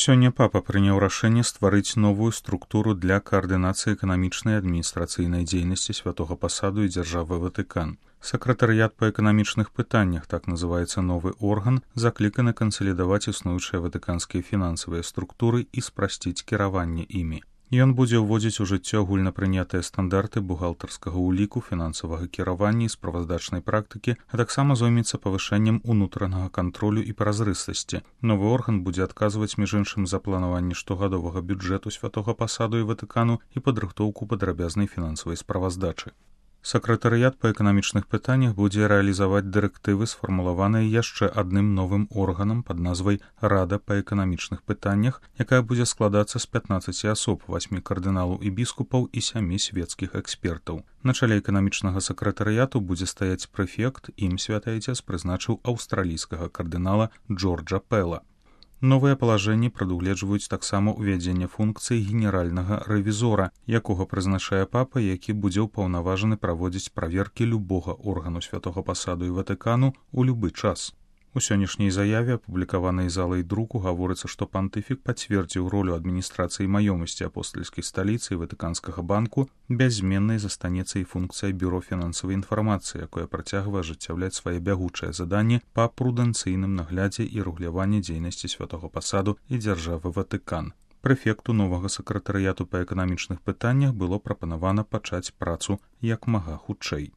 Сёння папа прыняў рашэнне стварыць новую структуру для каардынацыі эканамічнай і адміністрацыйнай дзейнасці святога пасаду і дзяржавы Ватыкан. Сакратарыят па эканамічных пытаннях, так называецца новы орган, закліканы кансалідаваць існуючыя ватыканскія фінансавыя структуры і спрасціць кіраванне імі. Ён будзе ўводзіць у жыццё агульнапрынятыя стандарты бухгалтарскага ўліку, фінансавага кіравання і справаздачнай практыкі, а таксама зоймецца павышэннем унутранага кантролю і празрыстасці. Новы орган будзе адказваць між іншым за планаванне штогадовага бюджэту святога пасаду і Ватыкану і падрыхтоўку падрабязнай фінансавай справаздачы. Сакратарыят па эканамічных пытаннях будзе рэалізаваць дырэктывы, сфармулаваныя яшчэ адным новым органам пад назвай Рада па эканамічных пытаннях, якая будзе складацца з 15 асоб, 8 кардыналаў і біскупаў і 7 свецкіх экспертаў. На чале эканамічнага сакратарыяту будзе стаяць прэфект, ім святы айцец прызначыў аўстралійскага кардынала Джорджа Пэла. Новыя палажэнні прадугледжваюць таксама ўвядзенне функцыі генеральнага рэвізора, якога прызначае папа, які будзе ўпаўнаважаны праводзіць праверкі любога органу святога пасаду і Ватыкану ў любы час. У сённяшняй заяве, апублікаванай залай друку, гаворыцца, што пантыфік пацвердзіў ролю адміністрацыі маёмасці апостальскай сталіцы і Ватыканскага банку, бяззменнай застанецца і функцыя бюро фінансавай інфармацыі, якое працягвае ажыццяўляць свае бягучыя заданні па прудэнцыйным наглядзе і рэгуляванні дзейнасці святога пасаду і дзяржавы Ватыкан. Прэфекту новага сакратарыяту па эканамічных пытаннях было прапанавана пачаць працу як мага хутчэй.